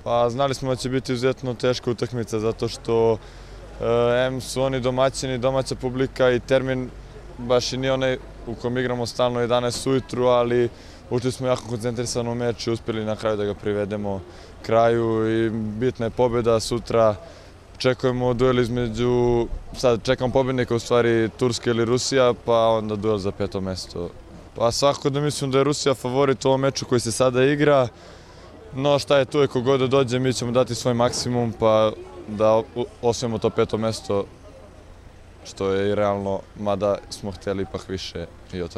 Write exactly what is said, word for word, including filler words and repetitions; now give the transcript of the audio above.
Pa znali smo da će biti izuzetno teška utakmica zato što e, em su oni domaćini, domaća publika i termin baš i nije onaj u kom igramo stalno jedanaest ujutru, ali ušli smo jako koncentrisano u meč i uspjeli na kraju da ga privedemo kraju i bitna je pobjeda sutra. Čekujemo duel između, sad čekam pobjednika u stvari Turska ili Rusija, pa onda duel za peto mesto. Pa svakako da mislim da je Rusija favorit u ovom meču koji se sada igra, no šta je tu je kogod da dođe, mi ćemo dati svoj maksimum pa da osvojimo to peto mesto, što je i realno, mada smo htjeli ipak više i od toga.